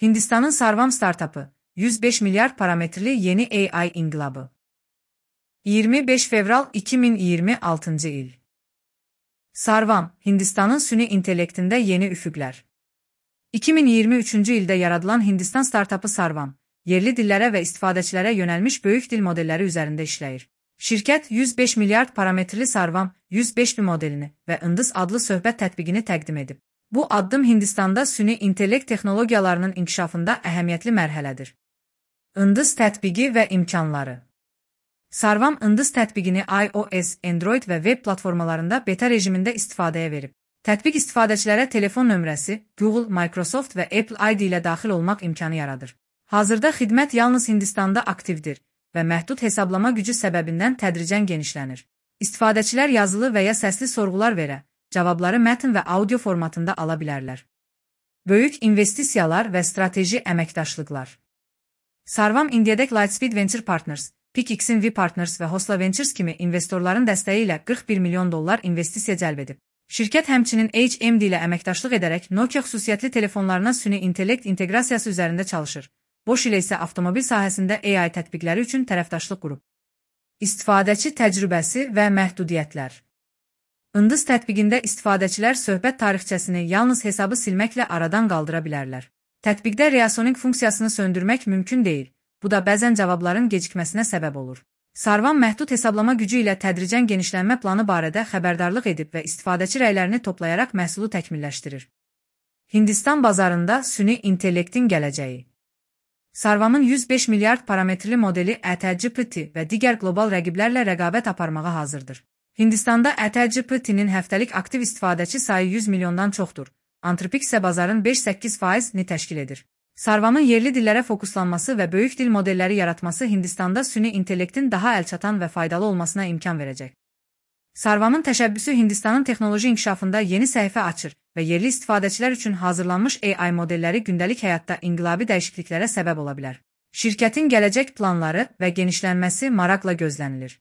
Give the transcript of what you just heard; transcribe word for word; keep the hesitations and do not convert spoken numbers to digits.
Hindistanın Sarvam startapı, yüz beş milyar parametreli yeni A I inqilabı. iyirmi beş fevral iki min iyirmi altıncı il. Sarvam, Hindistanın süni intellektində yeni üfüqlər. iki min iyirmi üçüncü ildə yaradılan Hindistan startapı Sarvam, yerli dillərə və istifadəçilərə yönəlmiş böyük dil modelləri üzərində işləyir. Şirkət yüz beş milyard parametrli Sarvam yüz beş modelini və Indus adlı söhbət tətbiqini təqdim edib. Bu addım Hindistanda süni intellekt texnologiyalarının inkişafında əhəmiyyətli mərhələdir. Indus tətbiqi və imkanları. Sarvam Indus tətbiqini iOS, Android və web platformalarında beta rejimində istifadəyə verib. Tətbiq istifadəçilərə telefon nömrəsi, Google, Microsoft və Apple I D ilə daxil olmaq imkanı yaradır. Hazırda xidmət yalnız Hindistanda aktivdir və məhdud hesablama gücü səbəbindən tədricən genişlənir. İstifadəçilər yazılı və ya səsli sorğular verə, cavabları mətn və audio formatında ala bilərlər. Böyük investisiyalar və strateji əməkdaşlıqlar. Sarvam indiyədək Lightspeed Venture Partners, PicXin V Partners və Hosla Ventures kimi investorların dəstəyi ilə qırx bir milyon dollar investisiya cəlb edib. Şirkət həmçinin H M D ilə əməkdaşlıq edərək Nokia xüsusiyyətli telefonlarına süni intellekt inteqrasiyası üzərində çalışır. Bosch ilə isə avtomobil sahəsində A I tətbiqləri üçün tərəfdaşlıq qurub. İstifadəçi təcrübəsi və məhdudiyyətlər. Indus tətbiqində istifadəçilər söhbət tarixçəsini yalnız hesabı silməklə aradan qaldıra bilərlər. Tətbiqdə reasoning funksiyasını söndürmək mümkün deyil. Bu da bəzən cavabların gecikməsinə səbəb olur. Sarvam məhdud hesablama gücü ilə tədricən genişlənmə planı barədə xəbərdarlıq edib və istifadəçi rəylərini toplayaraq məhsulu təkmilləşdirir. Hindistan bazarında süni intellektin gələcəyi. Sarvamın yüz beş milyard parametrli modeli A T G P T və digər qlobal rəqiblərlə rəqabət aparmağa hazırdır. Hindistanda A T G P T'nin həftəlik aktiv istifadəçi sayı yüz milyondan çoxdur. Anthropic isə bazarın beş səkkiz faizini təşkil edir. Sarvamın yerli dillərə fokuslanması və böyük dil modelləri yaratması Hindistanda süni intellektin daha əlçatan və faydalı olmasına imkan verəcək. Sarvamın təşəbbüsü Hindistanın texnoloji inkişafında yeni səhifə açır və yerli istifadəçilər üçün hazırlanmış A I modelləri gündəlik həyatda inqilabi dəyişikliklərə səbəb ola bilər. Şirkətin gələcək planları və genişlənməsi maraqla gözlənilir.